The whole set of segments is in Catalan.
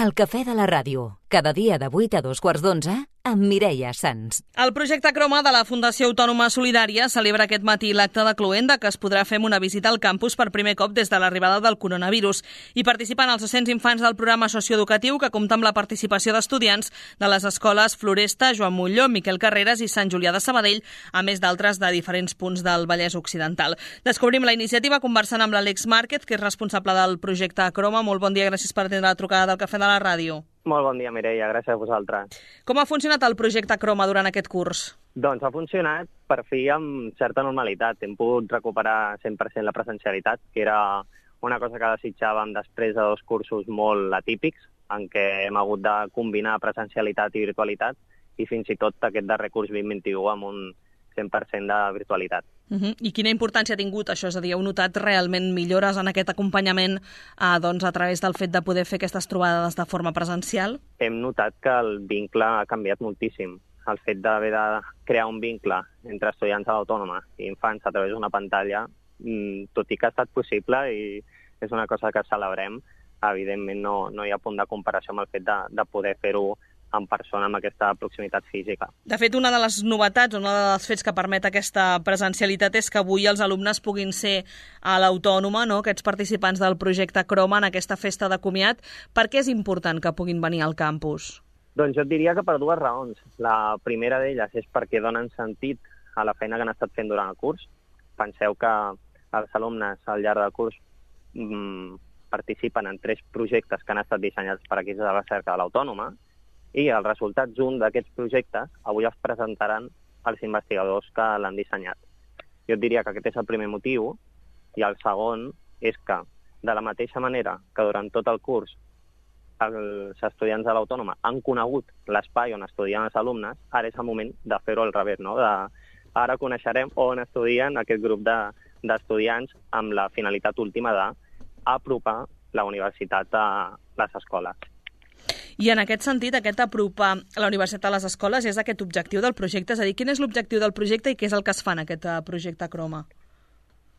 El cafè de la ràdio, cada dia de 8 a 2:15, amb Mireia Sans. El projecte Croma de la Fundació Autònoma Solidària celebra aquest matí l'acte de cloenda que es podrà fer amb una visita al campus per primer cop des de l'arribada del coronavirus. Hi participen els 200 infants del programa socioeducatiu que compta amb la participació d'estudiants de les escoles Floresta, Joan Molló, Miquel Carreras i Sant Julià de Sabadell, a més d'altres de diferents punts del Vallès Occidental. Descobrim la iniciativa conversant amb l'Àlex Márquez, que és responsable del projecte Croma. Molt bon dia, gràcies per atendre la trucada del Cafè de la Ràdio. Molt bon dia, Mireia, gràcies a vosaltres. Com ha funcionat el projecte Croma durant aquest curs? Doncs ha funcionat per fi amb certa normalitat. Hem pogut recuperar 100% la presencialitat, que era una cosa que desitjàvem després de 2 cursos molt atípics, en què hem hagut de combinar presencialitat i virtualitat, i fins i tot aquest darrer curs 2021 amb un 100% de virtualitat. I quina importància ha tingut això? És a dir, heu notat realment millores en aquest acompanyament a través del fet de poder fer aquestes trobades de forma presencial? Hem notat que el vincle ha canviat moltíssim. El fet d'haver de crear un vincle entre estudiants de l'Autònoma i infants a través d'una pantalla, tot i que ha estat possible i és una cosa que celebrem, evidentment no hi ha punt de comparació amb el fet de poder fer-ho en persona amb aquesta proximitat física. De fet, una de les novetats, un dels fets que permet aquesta presencialitat és que avui els alumnes puguin ser a l'Autònoma, no? Aquests participants del projecte Croma en aquesta festa de comiat. Per què és important que puguin venir al campus? Doncs jo et diria que per 2 raons. La primera d'elles és perquè donen sentit a la feina que han estat fent durant el curs. Penseu que els alumnes al llarg del curs participen en 3 projectes que han estat dissenyats per equips de recerca de l'Autònoma, i els resultats d'un d'aquests projectes avui els presentaran els investigadors que l'han dissenyat. Jo et diria que aquest és el primer motiu, i el segon és que, de la mateixa manera que durant tot el curs els estudiants de l'Autònoma han conegut l'espai on estudien els alumnes, ara és el moment de fer-ho al revés, no? Ara coneixerem on estudien aquest grup d'estudiants amb la finalitat última d'apropar la universitat a les escoles. I en aquest sentit, aquest apropar la universitat a les escoles és aquest objectiu del projecte? És a dir, quin és l'objectiu del projecte i què és el que es fa en aquest projecte Croma?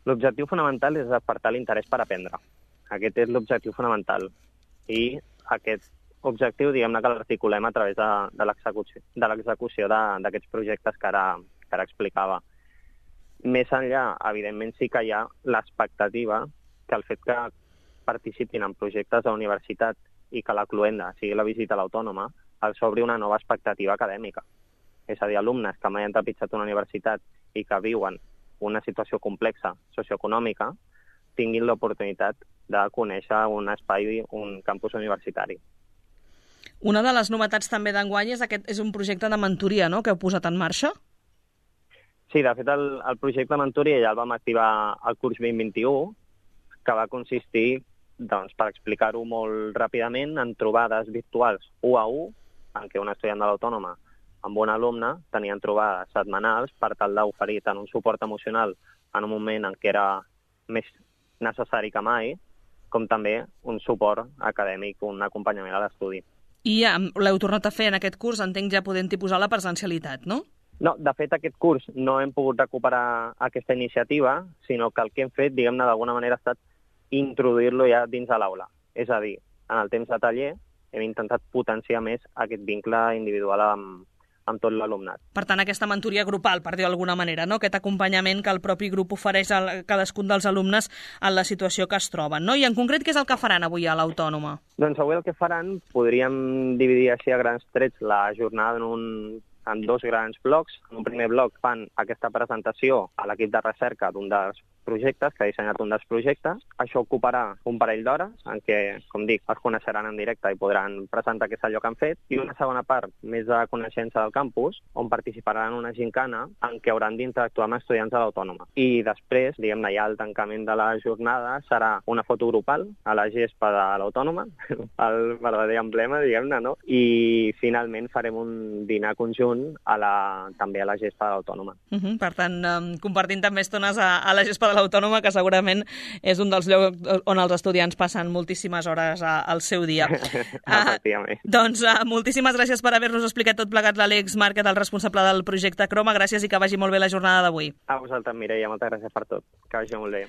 L'objectiu fonamental és despertar l'interès per aprendre. Aquest és l'objectiu fonamental. I aquest objectiu, diguem-ne que l'articulem a través de l'execució d'aquests projectes que ara explicava. Més enllà, evidentment, sí que hi ha l'expectativa que el fet que participin en projectes de la universitat i que la cloenda sigui la visita a l'Autònoma, els obri una nova expectativa acadèmica. És a dir, alumnes que mai han trepitjat una universitat i que viuen una situació complexa socioeconòmica tinguin l'oportunitat de conèixer un espai, un campus universitari. Una de les novetats també d'enguany és un projecte de mentoria, no?, que heu posat en marxa? Sí, de fet, el projecte de mentoria ja el vam activar al curs 2021, que va consistir, doncs, per explicar-ho molt ràpidament, en trobades virtuals 1 a 1, en què un estudiant de l'Autònoma amb un alumne tenien trobades setmanals per tal d'oferir tant un suport emocional en un moment en què era més necessari que mai, com també un suport acadèmic, un acompanyament a l'estudi. I l'heu tornat a fer en aquest curs, entenc ja podent-hi posar la presencialitat, no? No, de fet, aquest curs no hem pogut recuperar aquesta iniciativa, sinó que el que hem fet, diguem-ne, d'alguna manera ha estat introduir-lo ja dins de l'aula. És a dir, en el temps de taller hem intentat potenciar més aquest vincle individual amb tot l'alumnat. Per tant, aquesta mentoria grupal, per dir-ho d'alguna manera, no? Aquest acompanyament que el propi grup ofereix a cadascun dels alumnes en la situació que es troben, no? I en concret, què és el que faran avui a l'Autònoma? Doncs avui el que faran, podríem dividir així a grans trets la jornada en 2 grans blocs. En un primer bloc fan aquesta presentació a l'equip de recerca d'un dels projectes, que ha dissenyat un dels projectes. Això ocuparà un parell d'hores, en què, com dic, es coneixeran en directe i podran presentar què és allò que han fet. I una segona part, més de coneixença del campus, on participaran en una gincana en què hauran d'interactuar amb estudiants de l'Autònoma. I després, diguem-ne, ja el tancament de la jornada serà una foto grupal a la gespa de l'Autònoma, el verdader emblema, diguem-ne, no? I finalment farem un dinar conjunt també a la gespa de l'Autònoma. Per tant, compartint també estones a la gespa de l'Autònoma, que segurament és un dels llocs on els estudiants passen moltíssimes hores al seu dia. Doncs moltíssimes gràcies per haver-nos explicat tot plegat l'Àlex Márquez, el responsable del projecte Croma. Gràcies i que vagi molt bé la jornada d'avui. A vosaltres, Mireia, moltes gràcies per tot. Que vagi molt bé.